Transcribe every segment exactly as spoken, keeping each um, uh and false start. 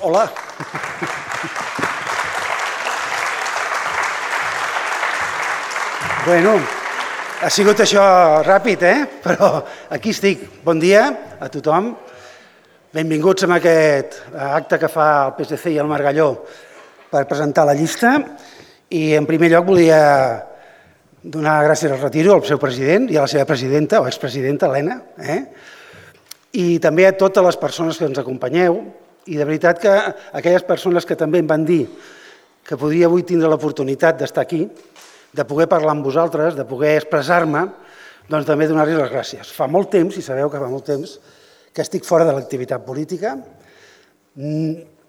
Hola. Bueno, ha sigut això ràpid, eh? Però aquí estic. Bon dia a tothom. Benvinguts a aquest acte que fa el P S C i el Margalló per presentar la llista. I en primer lloc volia donar gràcies al retiro al seu president i a la seva presidenta o expresidenta, Helena, eh? I també a totes les persones que ens acompanyeu. I de veritat que aquelles persones que també em van dir que podria avui tindre l'oportunitat d'estar aquí, de poder parlar amb vosaltres, de poder expressar-me, doncs també donar-los les gràcies. Fa molt temps, i sabeu que fa molt temps, que estic fora de l'activitat política.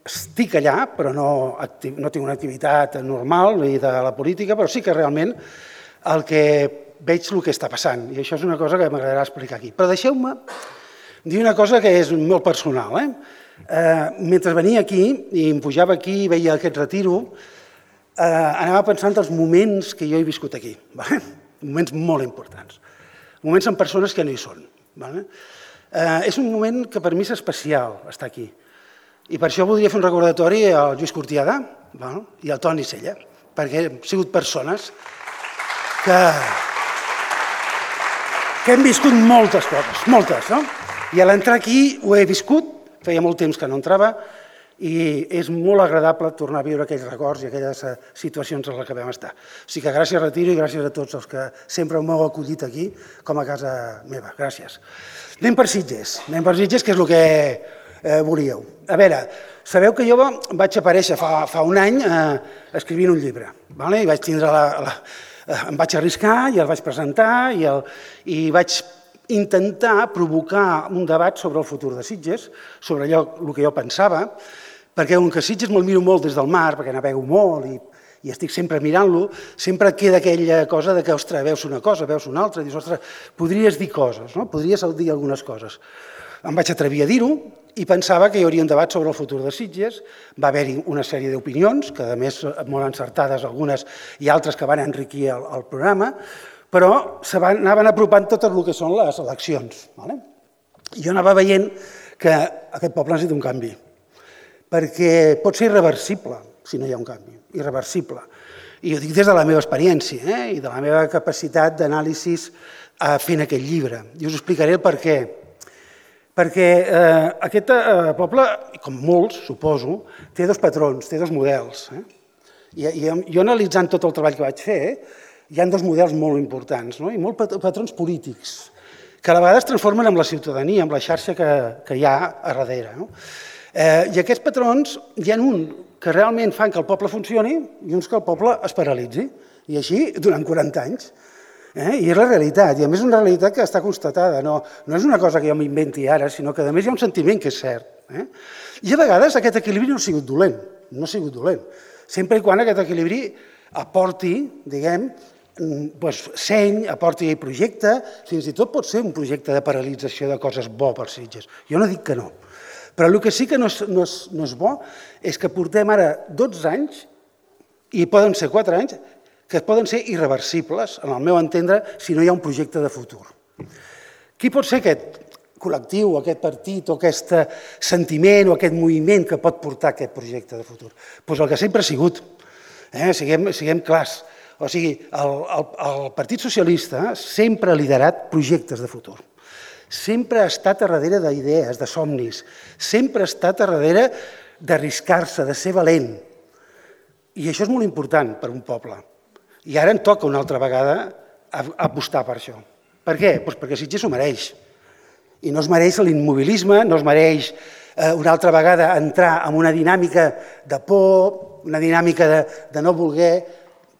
Estic allà, però no, no tinc una activitat normal ni de la política, però sí que realment el que veig el que està passant. I això és una cosa que m'agradarà explicar aquí. Però deixeu-me dir una cosa que és molt personal. Eh? Eh, mentre venia aquí i em pujava aquí i veia aquest retiro, eh, anava pensant els moments que jo he viscut aquí. Vale? Moments molt importants. Moments amb persones que no hi són. Vale? Eh, és un moment que per mi és especial estar aquí. I per això voldria fer un recordatori al Lluís Cortiada, vale? I al Toni Sella, perquè hem sigut persones que, que hem viscut moltes coses, moltes, no? I a l'entrar aquí ho he viscut, feia molt temps que no entrava, i és molt agradable tornar a viure aquells records i aquelles situacions en les que vam estar. O sigui que gràcies, retiro, i gràcies a tots els que sempre m'heu acollit aquí com a casa meva. Gràcies. Anem per Sitges, anem per Sitges, que és el que eh, volíeu. A veure, sabeu que jo vaig aparèixer fa, fa un any eh, escrivint un llibre, vale? I vaig tindre la, la, em vaig arriscar i el vaig presentar i, el, i vaig intentar provocar un debat sobre el futur de Sitges, sobre allò el que jo pensava, perquè com que Sitges me'l miro molt des del mar, perquè navego molt i, i estic sempre mirant-lo, sempre queda aquella cosa de que, ostres, veus una cosa, veus una altra, i dius, ostres, podries dir coses, no? Podries dir algunes coses. Em vaig atrevir a dir-ho i pensava que hi hauria un debat sobre el futur de Sitges. Va haver-hi una sèrie d'opinions, que a més molt encertades algunes i altres que van enriquir el, el programa, però s'anaven apropant tot el que són les eleccions. I jo anava veient que aquest poble necessita un canvi, perquè pot ser irreversible si no hi ha un canvi, irreversible. I ho dic des de la meva experiència eh? I de la meva capacitat d'anàlisi fent aquest llibre. I us explicaré el per què. Perquè eh, aquest eh, poble, com molts, suposo, té dos patrons, té dos models. Eh? I, i jo analitzant tot el treball que vaig fer, eh, hi ha dos models molt importants, no? I molts patrons polítics, que a la vegada es transformen en la ciutadania, en la xarxa que, que hi ha a darrere. No? Eh, I aquests patrons, hi ha un que realment fan que el poble funcioni i uns que el poble es paralitzi. I així durant quaranta anys. Eh? I és la realitat, i a més és una realitat que està constatada. No, no és una cosa que jo m'inventi ara, sinó que a més hi ha un sentiment que és cert. Eh? I a vegades aquest equilibri no ha sigut dolent, no ha sigut dolent. Sempre i quan aquest equilibri aporti, diguem, doncs, seny, aporti projecte, fins i tot pot ser un projecte de paralització de coses bo per Sitges. Jo no dic que no. Però el que sí que no és, no és, no és bo és que portem ara dotze anys, i poden ser quatre anys, que poden ser irreversibles, en el meu entendre, si no hi ha un projecte de futur. Qui pot ser aquest col·lectiu, aquest partit, o aquest sentiment, o aquest moviment que pot portar aquest projecte de futur? Doncs el que sempre ha sigut. Eh? Siguem, siguem clars. O sigui, el, el, el Partit Socialista sempre ha liderat projectes de futur. Sempre ha estat a darrere d'idees, de somnis. Sempre ha estat a darrere d'arriscar-se, de ser valent. I això és molt important per un poble. I ara em toca una altra vegada apostar per això. Per què? Doncs perquè Sitges s'ho mereix. I no es mereix l'immobilisme, no es mereix eh, una altra vegada entrar en una dinàmica de por, una dinàmica de, de no voler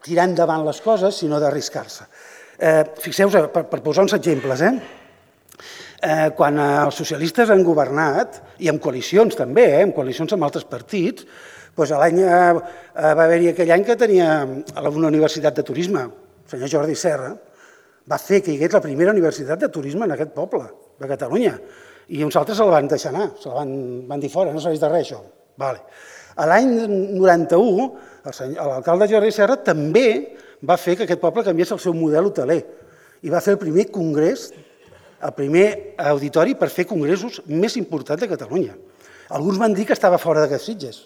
tirar endavant les coses, sinó d'arriscar-se. Eh, Fixeu-vos, per, per posar uns exemples, eh? Eh, quan els socialistes han governat, i amb coalicions també, eh, amb coalicions amb altres partits, doncs l'any eh, va haver-hi aquell any que tenia una universitat de turisme, el senyor Jordi Serra, va fer que hi hagués la primera universitat de turisme en aquest poble, de Catalunya, i uns altres se la van deixar anar, se la van, van dir fora, no serveix de res això. Vale. L'any noranta-u, l'alcalde Jordi Serra també va fer que aquest poble canviés el seu model hoteler i va fer el primer congrés, el primer auditori per fer congressos més important de Catalunya. Alguns van dir que estava fora de Sitges,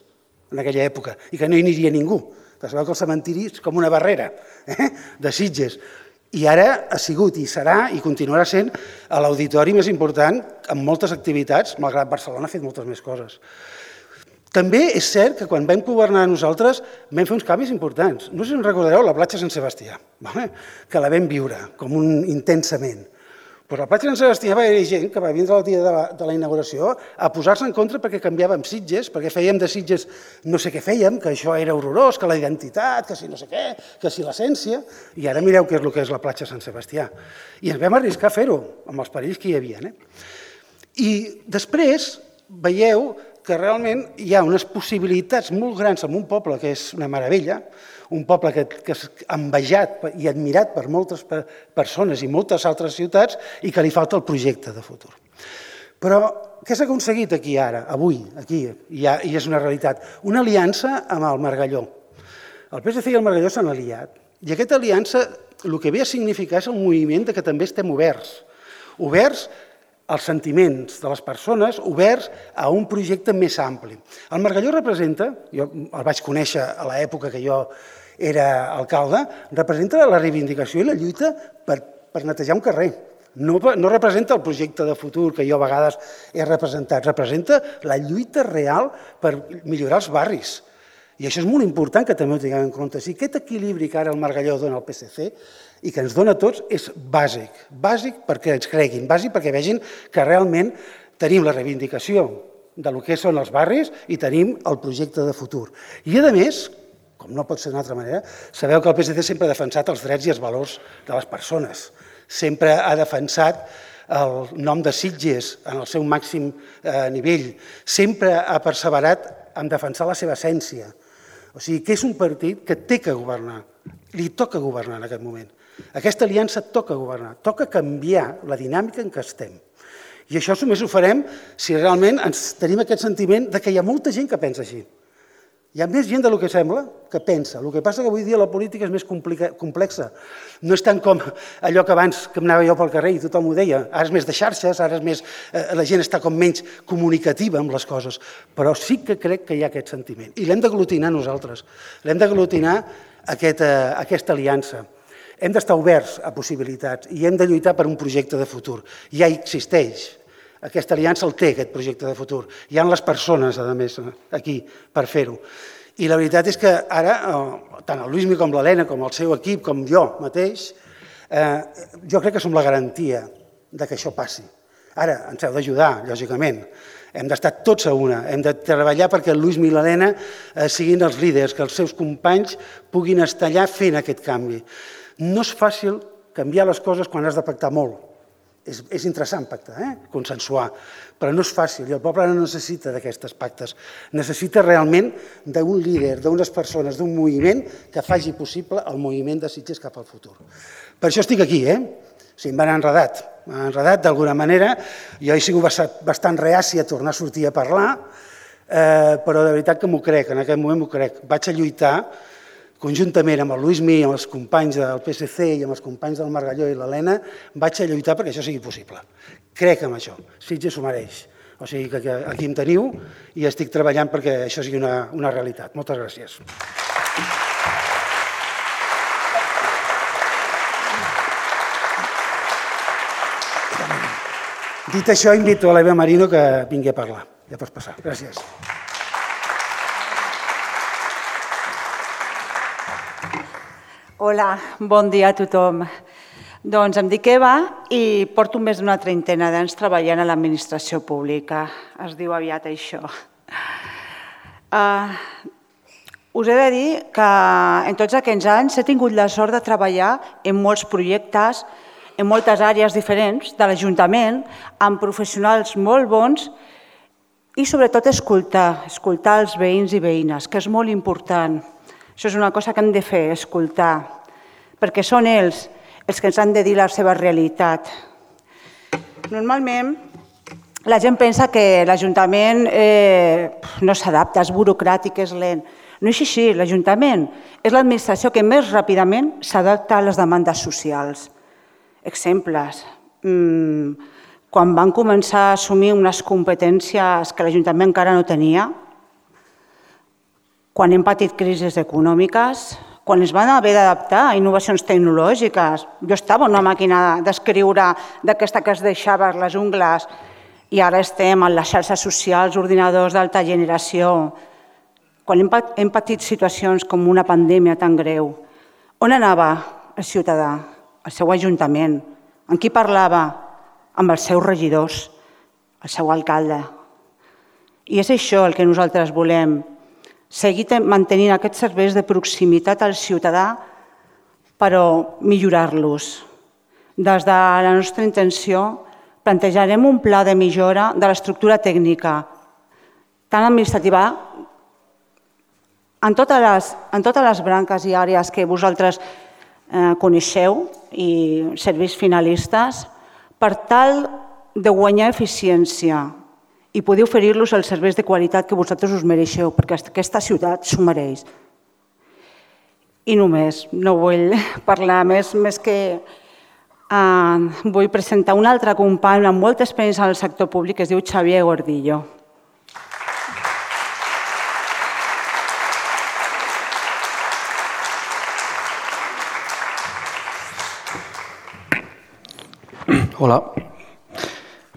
en aquella època, i que no hi aniria ningú. Que sabeu que el cementiri és com una barrera de Sitges. I ara ha sigut i serà i continuarà sent l'auditori més important amb moltes activitats, malgrat Barcelona ha fet moltes més coses. També és cert que quan vam governar nosaltres vam fer uns canvis importants. No sé si us recordareu la platja Sant Sebastià, que la vam viure com un intensament. Però a la platja Sant Sebastià va haver gent que va vindre el dia de la inauguració a posar-se en contra perquè canviàvem Sitges, perquè fèiem de Sitges no sé què fèiem, que això era horrorós, que la identitat, que si no sé què, que si l'essència, i ara mireu què és el que és la platja Sant Sebastià. I ens vam arriscar a fer-ho, amb els perills que hi havia. I després veieu que realment hi ha unes possibilitats molt grans en un poble que és una meravella, un poble que és envejat i admirat per moltes persones i moltes altres ciutats i que li falta el projecte de futur. Però què s'ha aconseguit aquí ara, avui, aquí, i és una realitat? Una aliança amb el Margalló. El P S C i el Margalló s'han aliat i aquesta aliança el que ve a significar és el moviment que també estem oberts, oberts als sentiments de les persones, oberts a un projecte més ampli. El Margalló representa, jo el vaig conèixer a l'època que jo era alcalde, representa la reivindicació i la lluita per netejar un carrer. No representa el projecte de futur que jo a vegades he representat, representa la lluita real per millorar els barris. I això és molt important que també ho tinguem en compte. Si aquest equilibri que ara el Margalló dona al P S C i que ens dona a tots és bàsic, bàsic perquè ens creguin, bàsic perquè vegin que realment tenim la reivindicació del que són els barris i tenim el projecte de futur. I a més, com no pot ser d'una altra manera, sabeu que el P S C sempre ha defensat els drets i els valors de les persones, sempre ha defensat el nom de Sitges en el seu màxim nivell, sempre ha perseverat en defensar la seva essència. O sigui, que és un partit que té que governar, li toca governar en aquest moment. Aquesta aliança toca governar, toca canviar la dinàmica en què estem. I això només ho farem si realment tenim aquest sentiment que hi ha molta gent que pensa així. Hi ha més gent del que sembla que pensa. El que passa que avui dia la política és més complexa. No és tant com allò que abans que anava jo pel carrer i tothom ho deia. Ara és més de xarxes, ara és més... la gent està com menys comunicativa amb les coses. Però sí que crec que hi ha aquest sentiment. I l'hem d'aglutinar nosaltres. L'hem d'aglutinar aquesta aliança. Hem d'estar oberts a possibilitats i hem de lluitar per un projecte de futur. Ja existeix. Aquesta aliança el té, aquest projecte de futur. Hi ha les persones, a més, aquí per fer-ho. I la veritat és que ara, tant el Lluís com l'Helena, com el seu equip, com jo mateix, jo crec que som la garantia que això passi. Ara, ens heu d'ajudar, lògicament. Hem d'estar tots a una. Hem de treballar perquè el Lluís i l'Helena siguin els líders, que els seus companys puguin estar allà fent aquest canvi. No és fàcil canviar les coses quan has de pactar molt. És interessant pactar, consensuar, però no és fàcil i el poble no necessita d'aquestes pactes. Necessita realment d'un líder, d'unes persones, d'un moviment que faci possible el moviment de Sitges cap al futur. Per això estic aquí, eh? O sigui, m'han enredat, m'han enredat d'alguna manera. Jo he sigut bastant reaci a tornar a sortir a parlar, però de veritat que m'ho crec, en aquest moment m'ho crec. Vaig a lluitar conjuntament amb el Lluís i amb els companys del P S C i amb els companys del Margalló i l'Helena, vaig a lluitar perquè això sigui possible. Crec en això. Sitges s'ho mereix. O sigui que aquí em teniu i estic treballant perquè això sigui una realitat. Moltes gràcies. Dit això, invito a l'Eva Marino que vingui a parlar. Ja pots passar. Gràcies. Hola, bon dia a tothom. Doncs em dic Eva i porto més d'una trentena d'anys treballant a l'administració pública. Es diu aviat això. Us he de dir que en tots aquests anys he tingut la sort de treballar en molts projectes, en moltes àrees diferents de l'Ajuntament, amb professionals molt bons i sobretot escoltar, escoltar els veïns i veïnes, que és molt important. Això és una cosa que hem de fer, escoltar, perquè són ells els que ens han de dir la seva realitat. Normalment, la gent pensa que l'Ajuntament no s'adapta, és burocràtic, és lent. No és així, l'Ajuntament és l'administració que més ràpidament s'adapta a les demandes socials. Exemples. quan van començar a assumir unes competències que l'Ajuntament encara no tenia, quan hem patit crisis econòmiques, quan es van haver d'adaptar a innovacions tecnològiques. Jo estava en una màquina d'escriure d'aquesta que es deixava les ungles i ara estem en les xarxes socials, ordinadors d'alta generació. Quan hem patit situacions com una pandèmia tan greu, on anava el ciutadà? Al seu ajuntament. Amb qui parlava? Amb els seus regidors, el seu alcalde. I és això el que nosaltres volem, seguir mantenint aquests serveis de proximitat al ciutadà, però millorar-los. Des de la nostra intenció, plantejarem un pla de millora de l'estructura tècnica, tant administrativa, en totes les, en totes les branques i àrees que vosaltres eh, coneixeu i serveis finalistes, per tal de guanyar eficiència i poder oferir-los els serveis de qualitat que vosaltres us mereixeu, perquè aquesta ciutat s'ho mereix. I només, no vull parlar més, més que eh, vull presentar un altre company amb molta experiència en el sector públic que es diu Xavier Gordillo. Hola.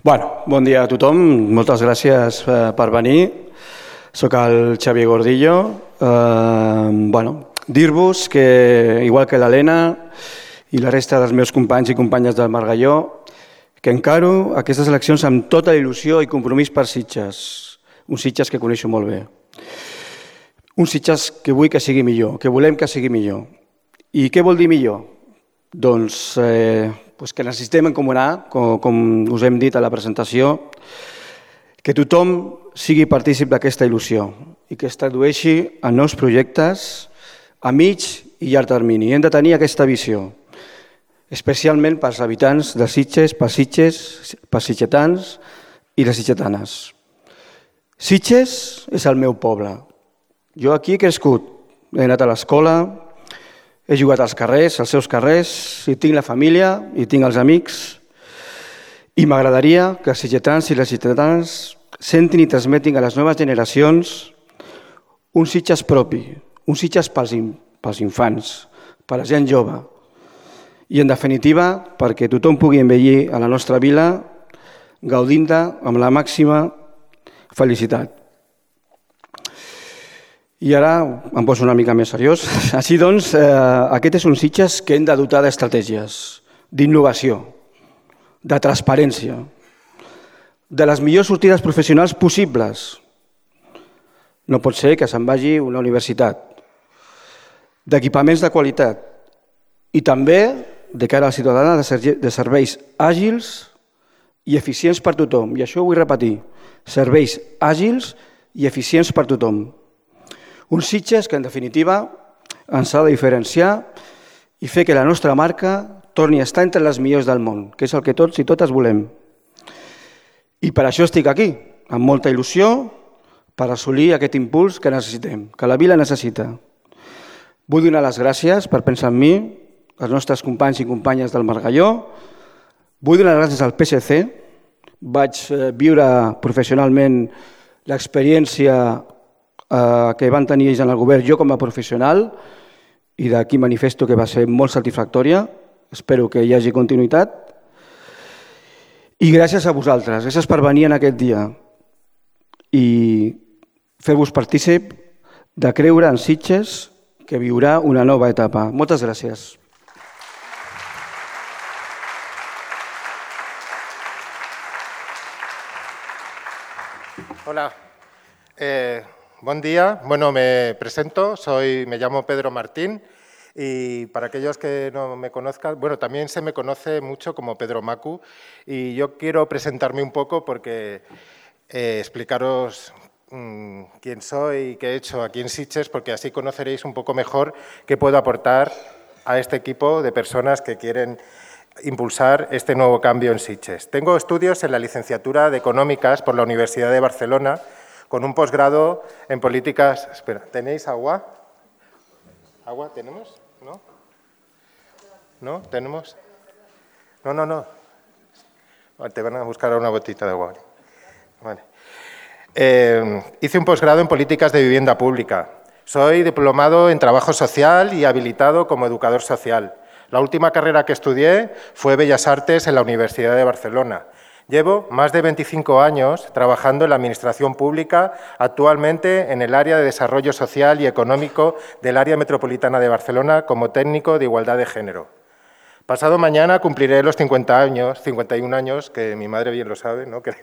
Bueno, bon dia a tothom. Moltes gràcies per venir. Soc el Xavier Gordillo. Eh, bueno, dir-vos que, igual que l'Helena i la resta dels meus companys i companyes del Margalló, que encaro aquestes eleccions amb tota la il·lusió i compromís per Sitges. Un Sitges que coneixo molt bé. Un Sitges que vull que sigui millor, que volem que sigui millor. I què vol dir millor? Doncs eh, pues que necessitem encomanar, com, com us hem dit a la presentació, que tothom sigui partícip d'aquesta il·lusió i que es tradueixi en nous projectes a mig i llarg termini. Hem de tenir aquesta visió, especialment pels habitants de Sitges, pels Sitges, pels sitgetans i les sitgetanes. Sitges és el meu poble. Jo aquí he crescut, he anat a l'escola, he jugat als carrers, als seus carrers, i tinc la família, i tinc els amics, i m'agradaria que els sitgetans i les sitgetanes sentin i transmetin a les noves generacions un Sitges propi, un Sitges pels, pels infants, per la gent jove, i en definitiva perquè tothom pugui envellir a la nostra vila gaudint-ne amb la màxima felicitat. I ara em poso una mica més seriós. Així doncs, eh, aquest és un Sitges que hem de dotar d'estratègies, d'innovació, de transparència, de les millors sortides professionals possibles. No pot ser que se'n vagi una universitat, d'equipaments de qualitat i també, de cara a la ciutadana, de serveis àgils i eficients per tothom. I això ho vull repetir, serveis àgils i eficients per tothom. Un Sitges que, en definitiva, ens ha de diferenciar i fer que la nostra marca torni a estar entre les millors del món, que és el que tots i totes volem. I per això estic aquí, amb molta il·lusió, per assolir aquest impuls que necessitem, que la vila necessita. Vull donar les gràcies per pensar en mi, als nostres companys i companyes del Margalló. Vull donar les gràcies al P S C. Vaig viure professionalment l'experiència que van tenir ells en el govern, jo com a professional, i d'aquí manifesto que va ser molt satisfactòria. Espero que hi hagi continuïtat. I gràcies a vosaltres, gràcies per venir en aquest dia i fer-vos partícip de creure en Sitges que viurà una nova etapa. Moltes gràcies. Hola. Eh... Buen día, bueno, me presento, soy, me llamo Pedro Martín y para aquellos que no me conozcan, bueno, también se me conoce mucho como Pedro Macu y yo quiero presentarme un poco porque eh, explicaros mmm, quién soy y qué he hecho aquí en Sitges, porque así conoceréis un poco mejor qué puedo aportar a este equipo de personas que quieren impulsar este nuevo cambio en Sitges. Tengo estudios en la licenciatura de Económicas por la Universidad de Barcelona, con un posgrado en políticas... Espera, ¿tenéis agua? ¿Agua tenemos? ¿No? ¿No? ¿Tenemos? No, no, no. Te van a buscar una botita de agua. Vale. Eh, hice un posgrado en políticas de vivienda pública. Soy diplomado en trabajo social y habilitado como educador social. La última carrera que estudié fue Bellas Artes en la Universidad de Barcelona. Llevo más de veinticinco años trabajando en la Administración Pública, actualmente en el área de Desarrollo Social y Económico del Área Metropolitana de Barcelona como técnico de Igualdad de Género. Pasado mañana cumpliré los cincuenta años, cincuenta y un años, que mi madre bien lo sabe, ¿no? Que,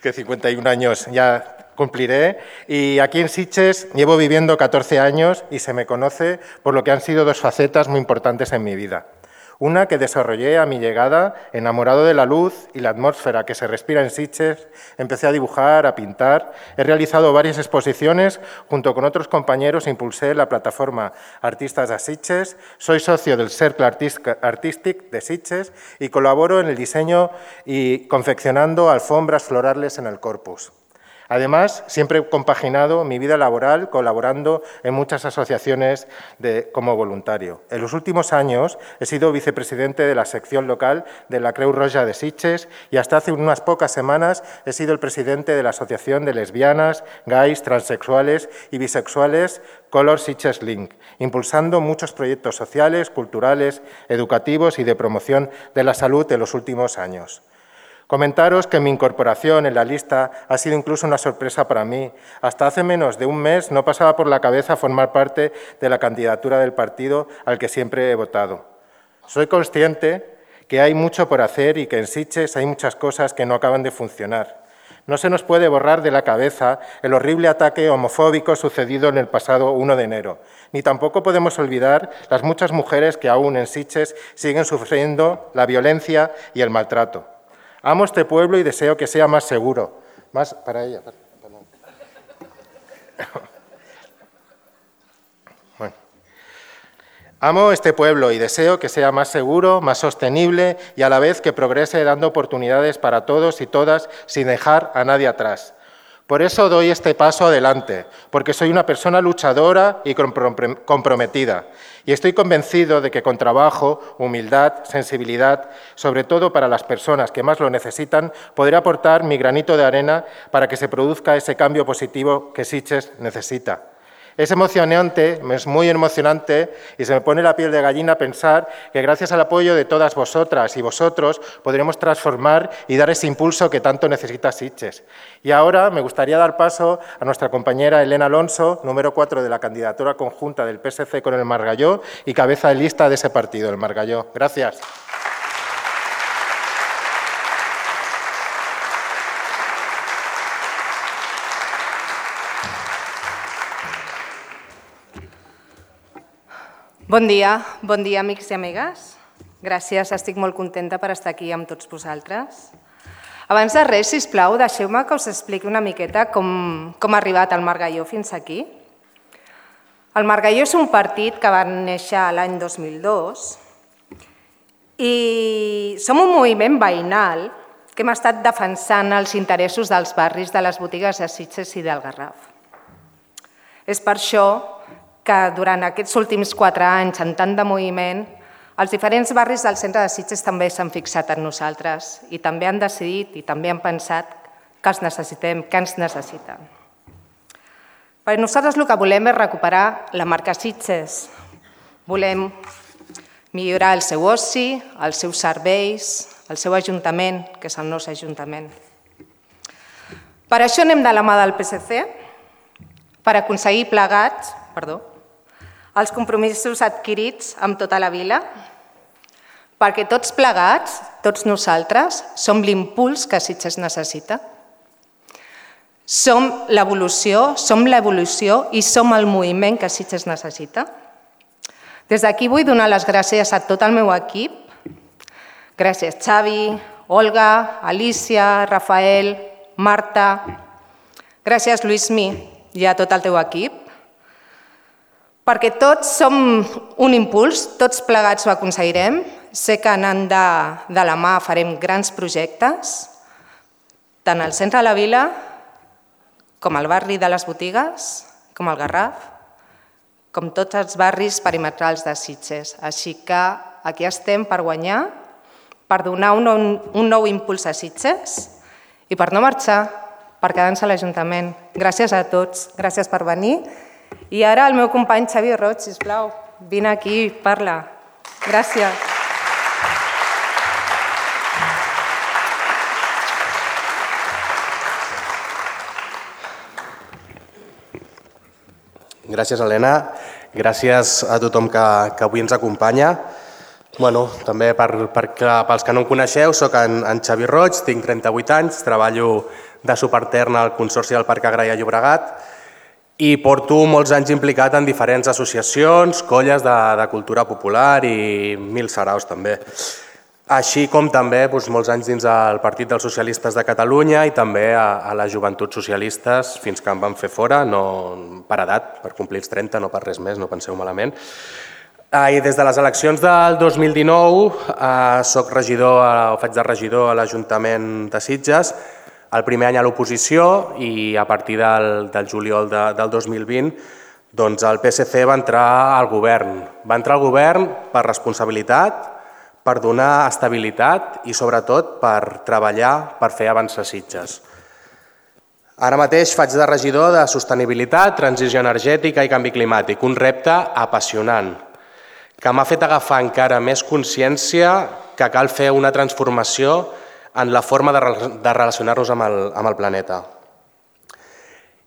que cincuenta y un años ya cumpliré. Y aquí en Sitges llevo viviendo catorce años y se me conoce por lo que han sido dos facetas muy importantes en mi vida. Una que desarrollé a mi llegada, enamorado de la luz y la atmósfera que se respira en Sitges, empecé a dibujar, a pintar. He realizado varias exposiciones, junto con otros compañeros impulsé la plataforma Artistas de Sitges, soy socio del Cercle Artístic de Sitges y colaboro en el diseño y confeccionando alfombras florales en el Corpus. Además, siempre he compaginado mi vida laboral colaborando en muchas asociaciones de, como voluntario. En los últimos años he sido vicepresidente de la sección local de la Creu Roja de Sitges y hasta hace unas pocas semanas he sido el presidente de la Asociación de Lesbianas, Gays, Transexuales y Bisexuales Color Sitges Link, impulsando muchos proyectos sociales, culturales, educativos y de promoción de la salud en los últimos años. Comentaros que mi incorporación en la lista ha sido incluso una sorpresa para mí. Hasta hace menos de un mes no pasaba por la cabeza formar parte de la candidatura del partido al que siempre he votado. Soy consciente que hay mucho por hacer y que en Sitges hay muchas cosas que no acaban de funcionar. No se nos puede borrar de la cabeza el horrible ataque homofóbico sucedido en el pasado uno de enero, ni tampoco podemos olvidar las muchas mujeres que aún en Sitges siguen sufriendo la violencia y el maltrato. Amo este pueblo y deseo que sea más seguro. Más para ella. Bueno. Amo este pueblo y deseo que sea más seguro, más sostenible y a la vez que progrese dando oportunidades para todos y todas sin dejar a nadie atrás. Por eso doy este paso adelante, porque soy una persona luchadora y comprometida. Y estoy convencido de que con trabajo, humildad, sensibilidad, sobre todo para las personas que más lo necesitan, podré aportar mi granito de arena para que se produzca ese cambio positivo que Sitges necesita. Es emocionante, es muy emocionante y se me pone la piel de gallina pensar que gracias al apoyo de todas vosotras y vosotros podremos transformar y dar ese impulso que tanto necesita Sitges. Y ahora me gustaría dar paso a nuestra compañera Elena Alonso, número cuatro de la candidatura conjunta del P S C con el Margalló y cabeza de lista de ese partido, el Margalló. Gracias. Bon dia, bon dia amics i amigues. Gràcies, estic molt contenta per estar aquí amb tots vosaltres. Abans de res, sisplau, deixeu-me que us expliqui una miqueta com, com ha arribat el Margalló fins aquí. El Margalló és un partit que va néixer l'any dos mil dos i som un moviment veïnal que hem estat defensant els interessos dels barris de les botigues de Sitges i del Garraf. És per això que durant aquests últims quatre anys, en tant de moviment, els diferents barris del centre de Sitges també s'han fixat en nosaltres i també han decidit i també han pensat que els necessitem, que ens necessiten. Perquè nosaltres el que volem és recuperar la marca Sitges. Volem millorar el seu oci, els seus serveis, el seu ajuntament, que és el nostre ajuntament. Per això anem de la mà del P S C, per aconseguir plegats, perdó, els compromisos adquirits amb tota la vila, perquè tots plegats, tots nosaltres, som l'impuls que Sitges necessita. Som l'evolució, som l'evolució i som el moviment que Sitges necessita. Des d'aquí vull donar les gràcies a tot el meu equip. Gràcies Xavi, Olga, Alicia, Rafael, Marta. Gràcies Lluïsmi i a tot el teu equip. Perquè tots som un impuls, tots plegats ho aconseguirem. Sé que anant de, de la mà farem grans projectes, tant al centre de la vila, com al barri de les botigues, com al Garraf, com tots els barris perimetrals de Sitges. Així que aquí estem per guanyar, per donar un nou, un nou impuls a Sitges i per no marxar, per quedar-se a l'Ajuntament. Gràcies a tots, gràcies per venir. I ara el meu company Xavi Roig, sisplau, vine aquí, parla. Gràcies. Gràcies, Helena. Gràcies a tothom que, que avui ens acompanya. Bueno, també per, per, pels que no em coneixeu, soc en, en Xavi Roig, tinc trenta-vuit anys, treballo de subaltern al Consorci del Parc Agrari a Llobregat i porto molts anys implicat en diferents associacions, colles de, de cultura popular i mil saraus també. Així com també doncs, molts anys dins el Partit dels Socialistes de Catalunya i també a, a les Joventuts Socialistes fins que em van fer fora, no per edat, per complir els trenta, no per res més, no penseu malament. I des de les eleccions del dos mil dinou eh, soc regidor, o faig de regidor a l'Ajuntament de Sitges, el primer any a l'oposició i a partir del, del juliol de, del dos mil vint doncs el P S C va entrar al govern. Va entrar al govern per responsabilitat, per donar estabilitat i sobretot per treballar per fer avançar Sitges. Ara mateix faig de regidor de sostenibilitat, transició energètica i canvi climàtic, un repte apassionant que m'ha fet agafar encara més consciència que cal fer una transformació en la forma de, de relacionar-nos amb, el, amb el planeta.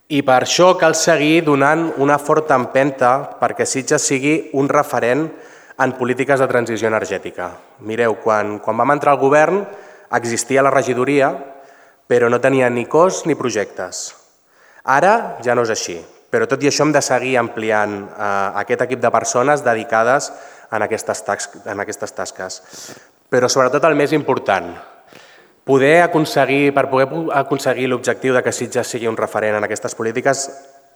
I per això cal seguir donant una forta empenta perquè Sitges sigui un referent en polítiques de transició energètica. Mireu, quan, quan vam entrar al govern existia la regidoria, però no tenia ni cos ni projectes. Ara ja no és així. Però tot i això hem de seguir ampliant eh, aquest equip de persones dedicades en aquestes, en aquestes tasques. Però sobretot el més important, poder aconseguir, per poder aconseguir l'objectiu de que Sitges sigui un referent en aquestes polítiques,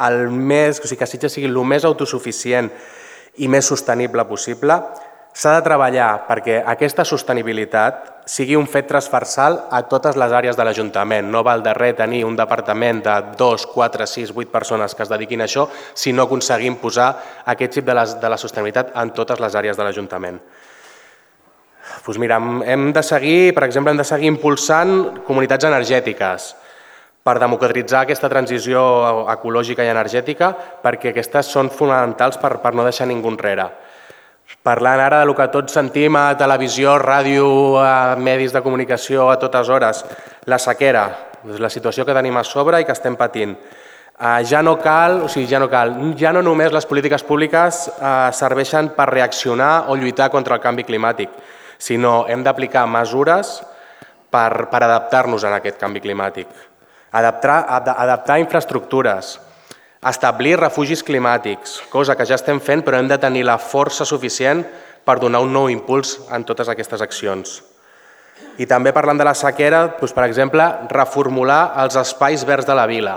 el més, o sigui, que Sitges sigui el més autosuficient i més sostenible possible, s'ha de treballar perquè aquesta sostenibilitat sigui un fet transversal a totes les àrees de l'Ajuntament. No val de res tenir un departament de dos, quatre, sis, vuit persones que es dediquin a això si no aconseguim posar aquest xip de la, de la sostenibilitat en totes les àrees de l'Ajuntament. Doncs mira, hem de seguir, per exemple, hem de seguir impulsant comunitats energètiques per democratitzar aquesta transició ecològica i energètica perquè aquestes són fonamentals per, per no deixar ningú enrere. Parlant ara del que tots sentim a televisió, ràdio, a medis de comunicació a totes hores, la sequera, la situació que tenim a sobre i que estem patint. Ja no cal, o sigui, ja no cal, ja no només les polítiques públiques serveixen per reaccionar o lluitar contra el canvi climàtic, sinó hem d'aplicar mesures per, per adaptar-nos a aquest canvi climàtic, adaptar, adaptar infraestructures, establir refugis climàtics, cosa que ja estem fent, però hem de tenir la força suficient per donar un nou impuls en totes aquestes accions. I també parlant de la sequera, doncs, per exemple, reformular els espais verds de la vila,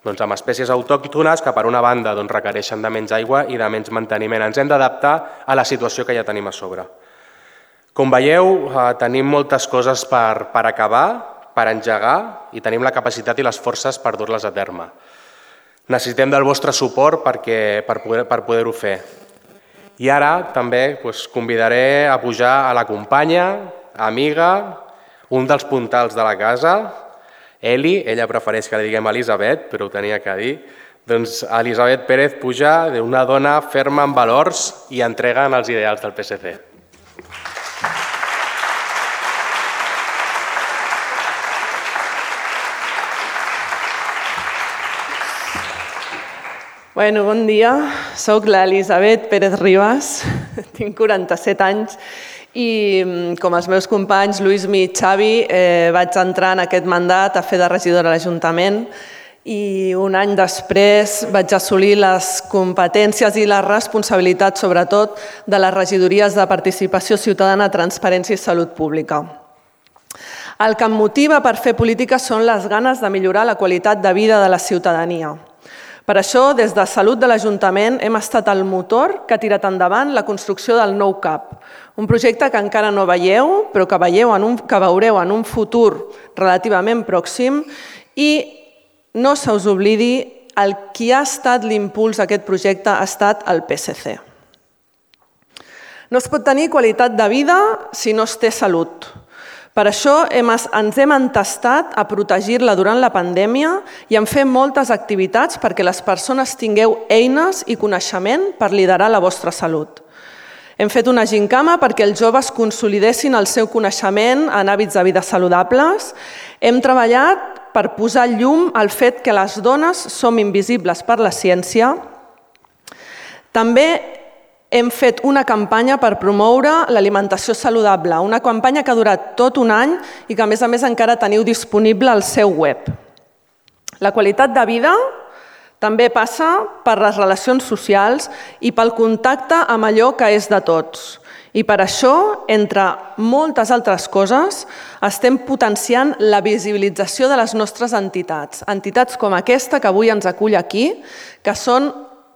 doncs, amb espècies autòctones que per una banda doncs, requereixen de menys aigua i de menys manteniment. Ens hem d'adaptar a la situació que ja tenim a sobre. Com veieu, eh, tenim moltes coses per, per acabar, per engegar i tenim la capacitat i les forces per dur-les a terme. Necessitem del vostre suport perquè, per poder, per poder-ho fer. I ara també doncs, convidaré a pujar a la companya, amiga, un dels puntals de la casa, Eli, ella prefereix que li diguem Elisabet, però ho tenia que dir, doncs Elisabet Pérez puja d'una dona ferma en valors i entrega en els ideals del P S C. Bueno, bon dia, soc l'Elisabet Pérez Ribas, tinc quaranta-set anys i com els meus companys Luismi i Xavi eh, vaig entrar en aquest mandat a fer de regidora a l'Ajuntament i un any després vaig assolir les competències i la responsabilitat, sobretot, de les regidories de Participació Ciutadana, Transparència i Salut Pública. El que em motiva per fer política són les ganes de millorar la qualitat de vida de la ciutadania. Per això, des de Salut de l'Ajuntament hem estat el motor que ha tirat endavant la construcció del nou C A P, un projecte que encara no veieu, però que, veieu en un, que veureu en un futur relativament pròxim i no se us oblidi, el qui ha estat l'impuls d'aquest projecte ha estat el P S C. No es pot tenir qualitat de vida si no es té salut. Per això hem, ens hem entestat a protegir-la durant la pandèmia i hem fet moltes activitats perquè les persones tingueu eines i coneixement per liderar la vostra salut. Hem fet una gincama perquè els joves consolidessin el seu coneixement en hàbits de vida saludables. Hem treballat per posar llum al fet que les dones som invisibles per la ciència. També hem fet una campanya per promoure l'alimentació saludable, una campanya que ha durat tot un any i que, a més a més, encara teniu disponible al seu web. La qualitat de vida també passa per les relacions socials i pel contacte amb allò que és de tots. I per això, entre moltes altres coses, estem potenciant la visibilització de les nostres entitats. Entitats com aquesta que avui ens acull aquí, que són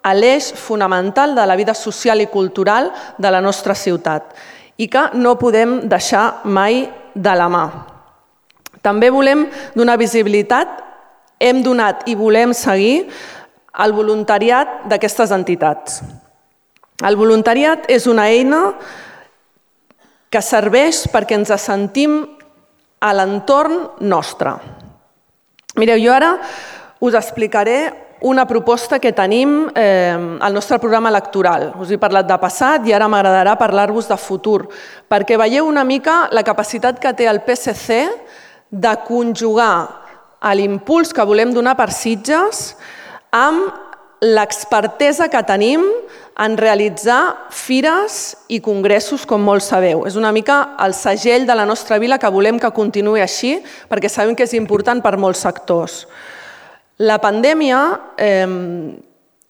a l'eix fonamental de la vida social i cultural de la nostra ciutat i que no podem deixar mai de la mà. També volem donar visibilitat, hem donat i volem seguir el voluntariat d'aquestes entitats. El voluntariat és una eina que serveix perquè ens sentim a l'entorn nostre. Mireu, jo ara us explicaré una proposta que tenim eh, al nostre programa electoral. Us he parlat de passat i ara m'agradarà parlar-vos de futur, perquè veieu una mica la capacitat que té el P S C de conjugar l'impuls que volem donar per Sitges amb l'expertesa que tenim en realitzar fires i congressos, com molts sabeu. És una mica el segell de la nostra vila que volem que continuï així, perquè sabem que és important per molts sectors. La pandèmia, eh,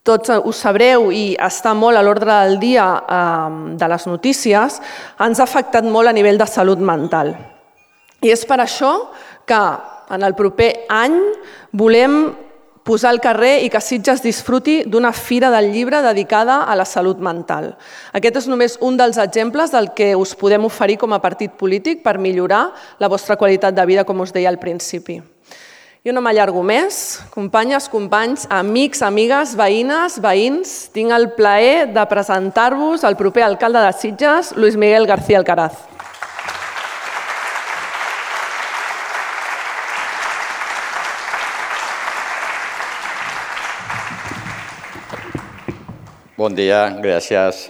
tots ho sabreu i està molt a l'ordre del dia eh, de les notícies, ens ha afectat molt a nivell de salut mental. I és per això que en el proper any volem posar al carrer i que Sitges disfruti d'una fira del llibre dedicada a la salut mental. Aquest és només un dels exemples del que us podem oferir com a partit polític per millorar la vostra qualitat de vida, com us deia al principi. Jo no m'allargo més. Companyes, companys, amics, amigues, veïnes, veïns, tinc el plaer de presentar-vos el proper alcalde de Sitges, Luis Miguel García Alcaraz. Bon dia, gràcies.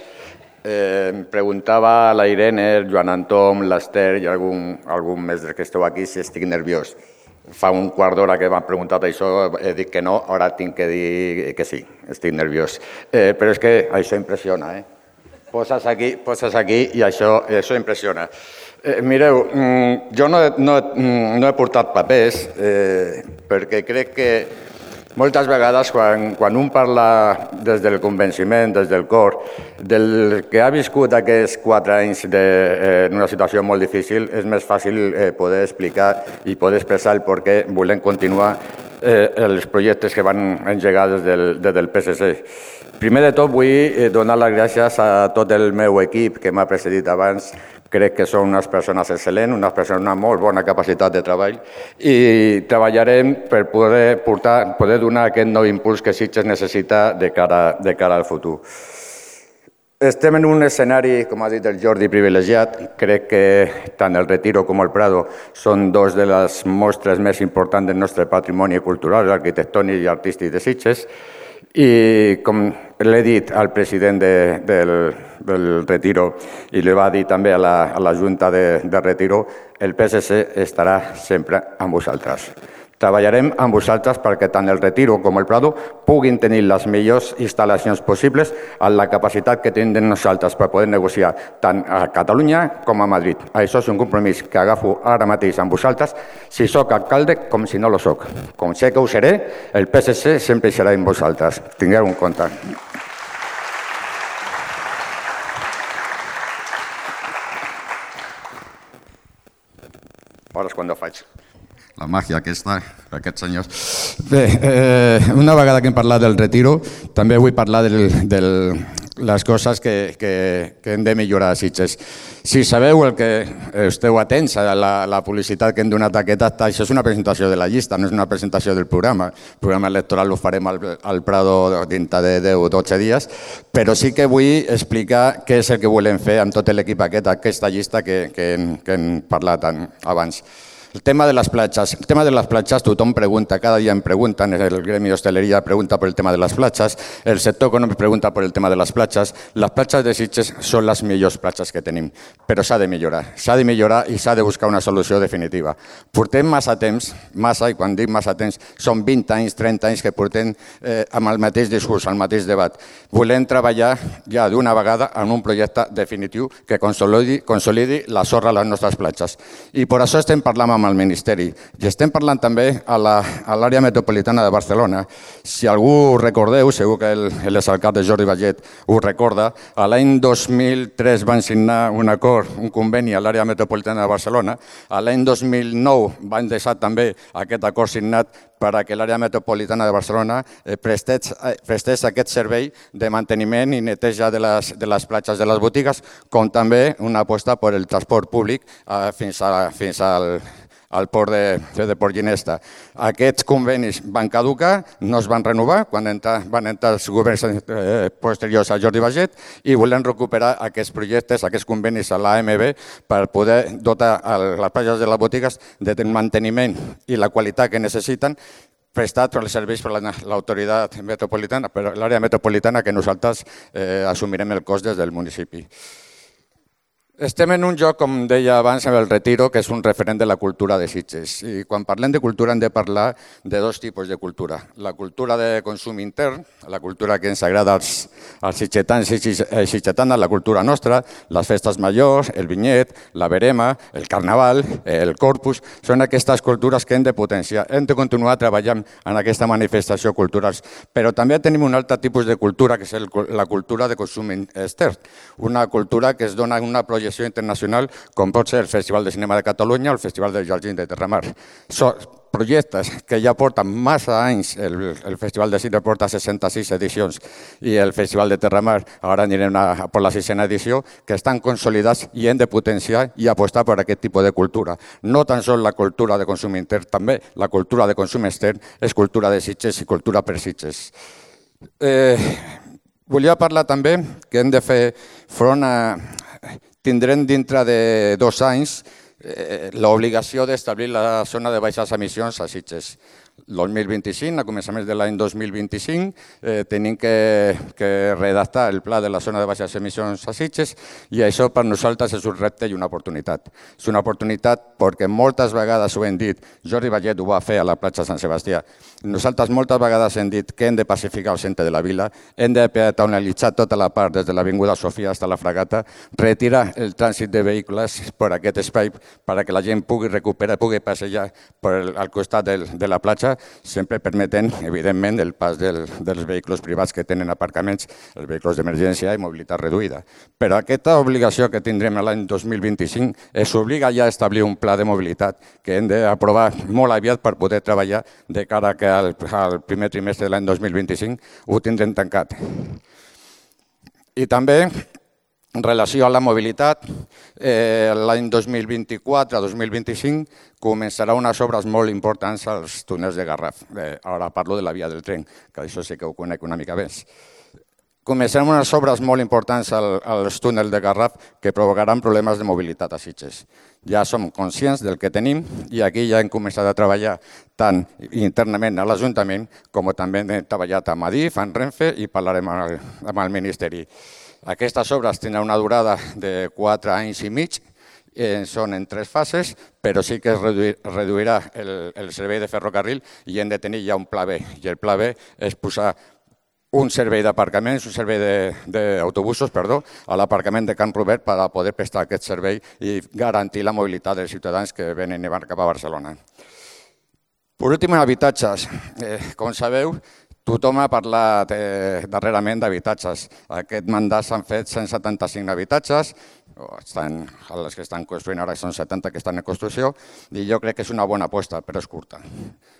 Eh, em preguntava la Irene, el Joan Anton, l'Ester i algun, algun més que esteu aquí si estic nerviós. Fa un quart d'hora que m'han preguntat això, he dit que no, ara tinc que dir que sí, estic nerviós. Eh, però és que això impressiona, eh? Poses aquí, poses aquí i això, això impressiona. Eh, mireu, jo no, no, no he portat papers eh, perquè crec que moltes vegades, quan, quan un parla des del convenciment, des del cor, del que ha viscut aquests quatre anys de, eh, en una situació molt difícil, és més fàcil eh, poder explicar i poder expressar el per què volem continuar eh, els projectes que van engegar des del, des del P S C. Primer de tot, vull donar les gràcies a tot el meu equip que m'ha precedit abans. Crec que són unes persones excel·lents, unes persones amb molt bona capacitat de treball i treballarem per poder, portar, poder donar aquest nou impuls que Sitges necessita de cara, de cara al futur. Estem en un escenari, com ha dit el Jordi, privilegiat. Crec que tant el Retiro com el Prado són dos de les mostres més importants del nostre patrimoni cultural, arquitectònic i artístic de Sitges. I com l'he dit al president de, del, del Retiro i li va dir també a la, a la Junta de, de Retiro, el P S C estarà sempre amb vosaltres. Treballarem amb vosaltres perquè tant el Retiro com el Prado puguin tenir les millors instal·lacions possibles amb la capacitat que tindrem nosaltres per poder negociar tant a Catalunya com a Madrid. Això és un compromís que agafo ara mateix amb vosaltres, si sóc alcalde com si no lo soc. Com sé que ho seré, el P S C sempre serà amb vosaltres. Tingueu en compte. Ara és quan ho faig. La màgia aquesta, aquests senyors. Bé, eh, una vegada que hem parlat del Retiro, també vull parlar del, del, les coses que, que, que hem de millorar a Sitges. Si sabeu el que esteu atents a la, la publicitat que hem donat a aquest acte, això és una presentació de la llista, no és una presentació del programa. El programa electoral ho farem al, al Prado dintre de deu o dotze dies, però sí que vull explicar què és el que volem fer amb tot l'equip aquest, aquesta llista que, que, que hem parlat abans. El tema de las platges. El tema de las platges, tothom pregunta, cada dia em pregunten, el gremi d'hostaleria pregunta per el tema de les platges, el sector econòmic pregunta per el tema de les platges. Les platges de Sitges són les millors platges que tenim, però s'ha de millorar. S'ha de millorar i s'ha de buscar una solució definitiva. Portem massa temps, massa, i quan dic massa temps, són vint anys, trenta anys que portem eh, amb el mateix discurs, el mateix debat. Volem treballar ja d'una vegada en un projecte definitiu que consolidi, consolidi la sorra a les nostres platges. I per això estem parlant amb al Ministeri. I estem parlant també a l'àrea metropolitana de Barcelona. Si algú recordeu, segur que l'exalcalde Jordi Vallet ho recorda, a l'any dos mil tres van signar un acord, un conveni a l'àrea metropolitana de Barcelona. A l'any dos mil nou van deixar també aquest acord signat per que l'àrea metropolitana de Barcelona prestés, prestés aquest servei de manteniment i neteja de les, de les platges de les botigues, com també una aposta per el transport públic eh, fins, a, fins al al port de, de Port Ginesta. Aquests convenis van caducar, no es van renovar quan entra, van entrar els governs eh, posteriors a Jordi Vallet i volem recuperar aquests projectes, aquests convenis a l'A M B per poder dotar a les platges de les botigues de manteniment i la qualitat que necessiten prestat els serveis per l'autoritat metropolitana, per l'àrea metropolitana que nosaltres eh, assumirem el cost des del municipi. Estem en un lloc, com deia abans, amb el Retiro, que és un referent de la cultura de Sitges. I quan parlem de cultura hem de parlar de dos tipus de cultura. La cultura de consum intern, la cultura que ens agrada als, als sitgetans i sitgetanes, la cultura nostra, les festes majors, el vinyet, la verema, el carnaval, el corpus, són aquestes cultures que hem de potenciar. Hem de continuar treballant en aquesta manifestació cultural. Però també tenim un altre tipus de cultura, que és el, la cultura de consum extern. Una cultura que es dona una projecció internacional, com pot ser el Festival de Cinema de Catalunya o el Festival del Jardí de Terramar. Són projectes que ja porten massa anys, el, el Festival de Cinema porta seixanta-sis edicions i el Festival de Terramar, ara anirem a, a per la sisena edició, que estan consolidats i hem de potenciar i apostar per aquest tipus de cultura. No tan sols la cultura de consum intern, també la cultura de consum extern és cultura de Sitges i cultura per Sitges. Eh, volia parlar també que hem de fer front a tindrem dintre de dos anys eh, l'obligació d'establir la zona de baixes emissions a Sitges. El dos mil vint-i-cinc, a començaments de l'any dos mil vint-i-cinc, eh, tenim que, que redactar el pla de la zona de baixes emissions a Sitges i això per nosaltres és un repte i una oportunitat. És una oportunitat perquè moltes vegades ho hem dit, Jordi Vallet ho va fer a la platja Sant Sebastià, nosaltres moltes vegades hem dit que hem de pacificar el centre de la vila, hem de peatonalitzar tota la part des de l'Avinguda Sofia fins a la Fragata, retirar el trànsit de vehicles per aquest espai perquè la gent pugui recuperar, pugui passejar per el, al costat del, de la platja, sempre permetent, evidentment, el pas del, dels vehicles privats que tenen aparcaments, els vehicles d'emergència i mobilitat reduïda. Però aquesta obligació que tindrem l'any dos mil vint-i-cinc és obliga ja a establir un pla de mobilitat que hem d'aprovar molt aviat per poder treballar de cara que al, al primer trimestre de l'any dos mil vint-i-cinc ho tindrem tancat. I també, en relació a la mobilitat, eh, l'any dos mil vint-i-quatre a dos mil vint-i-cinc començarà unes obres molt importants als túnels de Garraf. Eh, ara parlo de la via del tren, que això sí que ho conec una mica més. Començarem unes obres molt importants al, als túnels de Garraf que provocaran problemes de mobilitat a Sitges. Ja som conscients del que tenim i aquí ja hem començat a treballar tant internament a l'Ajuntament com també hem treballat amb Adif, amb Renfe i parlarem amb el, amb el Ministeri. Aquestes obres tindran una durada de quatre anys i mig, eh, són en tres fases, però sí que es reduir, reduirà el, el servei de ferrocarril i hem de tenir ja un pla B. I el pla B és posar un servei d'aparcaments, un servei d'autobusos, perdó, a l'aparcament de Can Robert per a poder prestar aquest servei i garantir la mobilitat dels ciutadans que venen i van cap a Barcelona. Per últim, habitatges. Eh, com sabeu, tothom ha parlat eh, darrerament d'habitatges. Aquest mandat s'han fet cent setanta-cinc habitatges, estan, les que estan construint ara són setanta que estan en construcció, i jo crec que és una bona aposta, però és curta.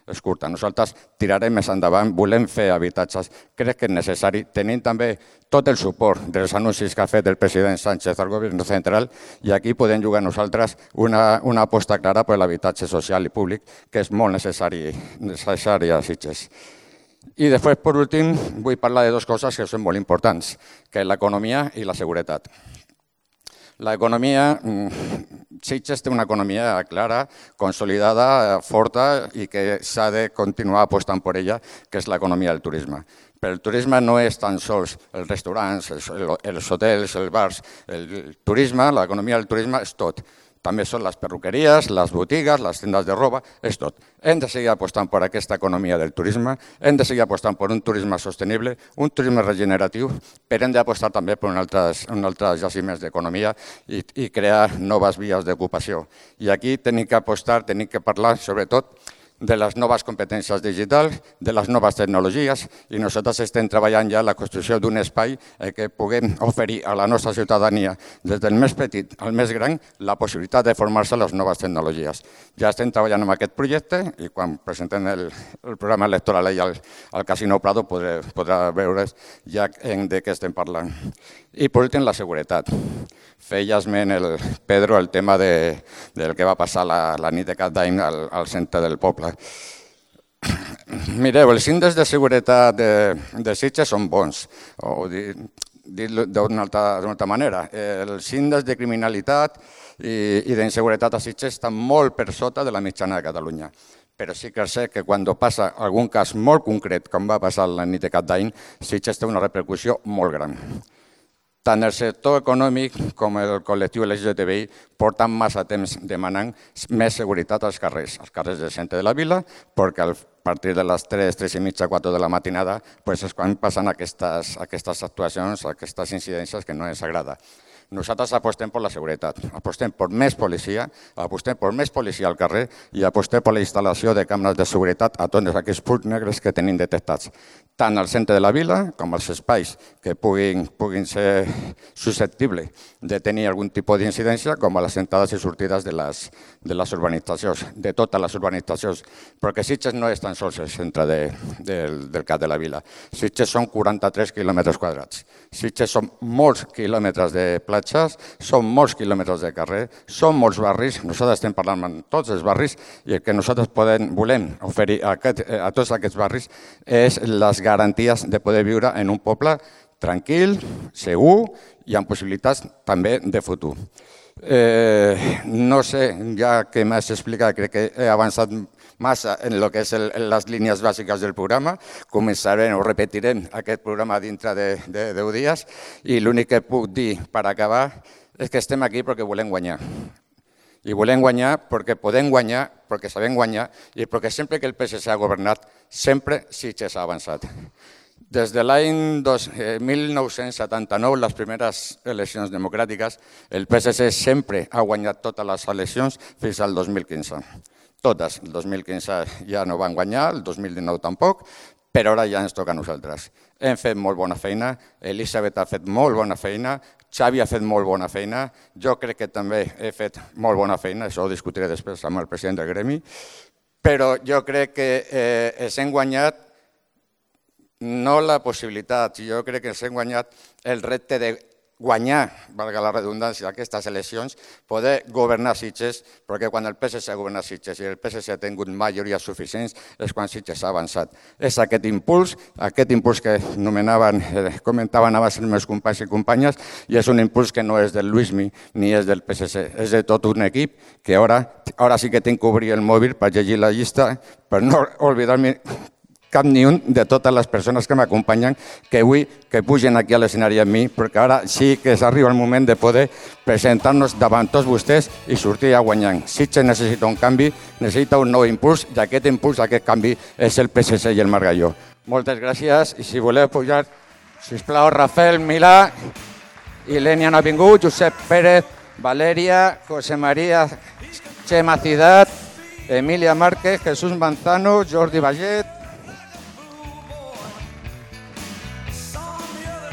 És curta. Nosaltres tirarem més endavant, volem fer habitatges, crec que és necessari, tenint també tot el suport dels anuncis que ha fet el president Sánchez al govern central, i aquí podem jugar nosaltres una, una aposta clara per l'habitatge social i públic, que és molt necessari, necessari a Sitges. I després, per últim, vull parlar de dues coses que són molt importants, que és l'economia i la seguretat. L'economia, Sitges té una economia clara, consolidada, forta i que s'ha de continuar apostant per ella, que és l'economia del turisme. Però el turisme no és tan sols els restaurants, els hotels, els bars. El turisme, l'economia del turisme és tot. També són les perruqueries, les botigues, les tendes de roba, és tot. Hem de seguir apostant per aquesta economia del turisme, hem de seguir apostant per un turisme sostenible, un turisme regeneratiu, però hem d'apostar també per un altres, un altres jaciments d'economia i, i crear noves vies d'ocupació. I aquí tenim que apostar, tenim que parlar, sobretot, de les noves competències digitals, de les noves tecnologies, i nosaltres estem treballant ja en la construcció d'un espai que puguem oferir a la nostra ciutadania, des del més petit al més gran, la possibilitat de formar-se a les noves tecnologies. Ja estem treballant en aquest projecte i quan presentem el, el programa electoral al, al Casino Prado podrà, podrà veure ja de què estem parlant. I per últim, la seguretat. Feia esment el Pedro el tema de, del que va passar la, la nit de Cap d'Any al, al centre del poble. Mireu, els índexs de seguretat de, de Sitges són bons, o dit, dit d'una altra, altra manera. Els índexs de criminalitat i, i d'inseguretat a Sitges estan molt per sota de la mitjana de Catalunya. Però sí que sé que quan passa algun cas molt concret, com va passar la nit de Cap d'Any, Sitges té una repercussió molt gran. Tant el sector econòmic com el col·lectiu L G T B I porten massa temps demanant més seguretat als carrers, als carrers del centre de la vila, perquè a partir de les tres, tres i mitja, quatre de la matinada és quan passen aquestes, aquestes actuacions, aquestes incidències que no ens agrada. Nosaltres apostem per la seguretat, apostem per més policia, apostem per més policia al carrer i apostem per la instal·lació de càmeres de seguretat a tots aquests punts negres que tenim detectats, tant al centre de la vila com als espais que puguin, puguin ser susceptibles de tenir algun tipus d'incidència, com a les entrades i sortides de les, de les urbanitzacions, de totes les urbanitzacions, perquè Sitges no és tan sols el centre de, del, del cap de la vila. Sitges són quaranta-tres quilòmetres quadrats. Sitges són molts quilòmetres de platges, són molts quilòmetres de carrer, són molts barris, nosaltres estem parlant amb tots els barris i el que nosaltres podem, volem oferir a, aquest, a tots aquests barris és les garanties de poder viure en un poble tranquil, segur i amb possibilitats també de futur. Eh, no sé, ja que m'has explicat, crec que he avançat massa en el que és el, les línies bàsiques del programa. Començarem o repetirem aquest programa dintre de, de deu dies i l'únic que puc dir per acabar és que estem aquí perquè volem guanyar. I volem guanyar perquè podem guanyar, perquè sabem guanyar i perquè sempre que el P S C ha governat, sempre Sitges ha avançat. Des de l'any mil nou-cents setanta-nou, les primeres eleccions democràtiques, el P S C sempre ha guanyat totes les eleccions fins al dos mil quinze. Totes. El dos mil quinze ja no van guanyar, el dos mil dinou tampoc, però ara ja ens toca a nosaltres. Hem fet molt bona feina, Elisabet ha fet molt bona feina, Xavi ha fet molt bona feina, jo crec que també he fet molt bona feina, això ho discutiré després amb el president del gremi, però jo crec que eh, ens hem guanyat no la possibilitat, jo crec que ens hem guanyat el repte de guanyar, valga la redundància, aquestes eleccions, poder governar Sitges, perquè quan el P S C ha governat Sitges i el P S C ha tingut majoria suficients és quan Sitges ha avançat. És aquest impuls, aquest impuls que nomenaven, eh, comentaven abans els meus companys i companyes, i és un impuls que no és del Luismi ni és del P S C, és de tot un equip que ara, ara sí que tinc que obrir el mòbil per llegir la llista, per no oblidar-me cap ni un de totes les persones que m'acompanyen, que vull que pugen aquí a l'escenari amb mi, perquè ara sí que s'arriba el moment de poder presentar-nos davant tots vostès i sortir a guanyant. Sitges necessita un canvi, necessita un nou impuls, i aquest impuls, aquest canvi, és el P S C i el Margalló. Moltes gràcies, i si voleu pujar, sisplau, Rafael Milà, Ilenia no ha vingut, Josep Pérez, Valeria, José María, Chema Ciudad, Emilia Márquez, Jesús Manzano, Jordi Vallet,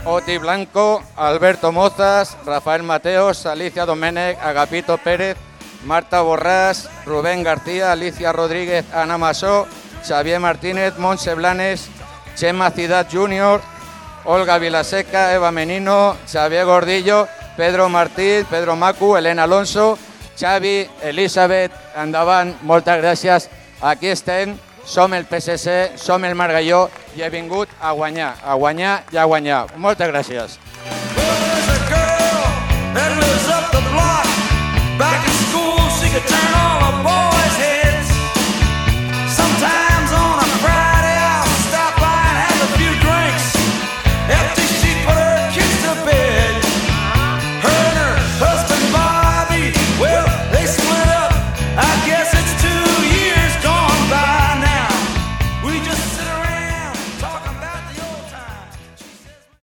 Oti Blanco, Alberto Mozas, Rafael Mateos, Alicia Domènech, Agapito Pérez, Marta Borràs, Rubén García, Alicia Rodríguez, Ana Masó, Xavier Martínez, Montse Blanes, Chema Ciudad júnior, Olga Vilaseca, Eva Menino, Xavier Gordillo, Pedro Martí, Pedro Macu, Elena Alonso, Xavi, Elisabet, endavant, moltes gràcies. Aquí estem, som el P S C, som el Margalló i he vingut a guanyar, a guanyar i a guanyar. Moltes gràcies. Back in school, she could turn on